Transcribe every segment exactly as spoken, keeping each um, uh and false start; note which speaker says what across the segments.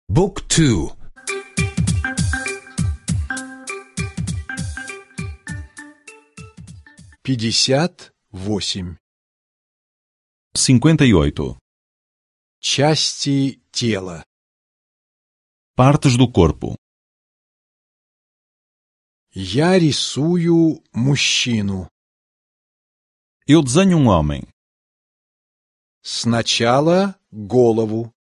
Speaker 1: Book two.
Speaker 2: Пятьдесят восемь.
Speaker 3: Cinquenta e oito.
Speaker 2: Части тела.
Speaker 3: Partes do corpo.
Speaker 2: Я рисую мужчину.
Speaker 3: Eu desenho um homem.
Speaker 2: Сначала голову.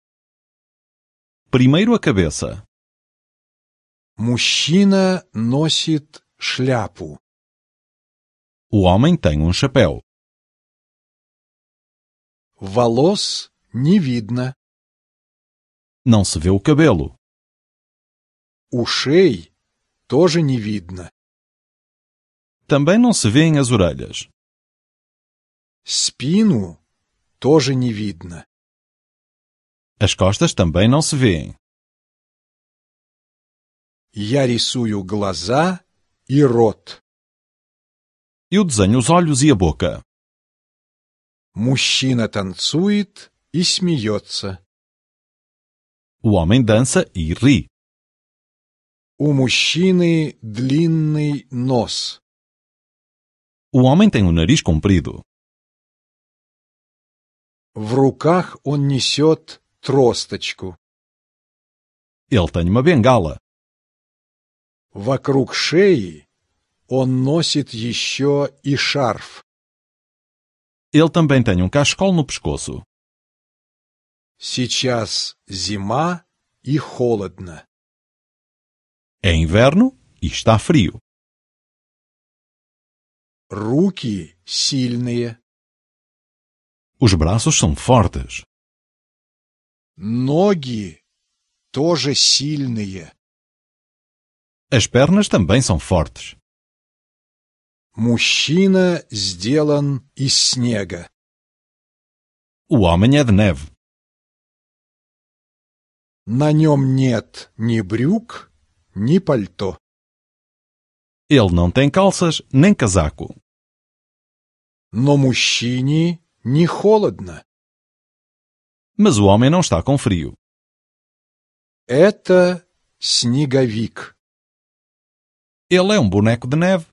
Speaker 3: Primeiro a cabeça.
Speaker 2: Мужчина носит шляпу.
Speaker 3: O homem tem um chapéu.
Speaker 2: Волос не видно.
Speaker 3: Não se vê o cabelo.
Speaker 2: Ушей тоже не видно.
Speaker 3: Também não se vêem as orelhas.
Speaker 2: Спину тоже не видно.
Speaker 3: As costas também não se vêem.
Speaker 2: Я рисую глаза и рот.
Speaker 3: Eu desenho os olhos e a boca.
Speaker 2: Мужчина танцует и смеется.
Speaker 3: O homem dança e ri.
Speaker 2: У мужчины длинный нос.
Speaker 3: O homem tem o nariz comprido.
Speaker 2: В руках он несет тросточку.
Speaker 3: Ele tem uma bengala.
Speaker 2: Вокруг шеи он носит еще и шарф.
Speaker 3: Ele também tem um cachecol no pescoço.
Speaker 2: Сейчас зима и холодно.
Speaker 3: É inverno e está frio.
Speaker 2: Руки сильные.
Speaker 3: Os braços são fortes.
Speaker 2: Ноги тоже сильные.
Speaker 3: As pernas também são fortes.
Speaker 2: Мужчина сделан из снега.
Speaker 3: O homem é de neve.
Speaker 2: На нем нет ни брюк, ни пальто.
Speaker 3: Ele não tem calças nem casaco.
Speaker 2: Но мужчине не холодно.
Speaker 3: Mas o homem não está com frio.
Speaker 2: Это снеговик.
Speaker 3: Ele é um boneco de neve.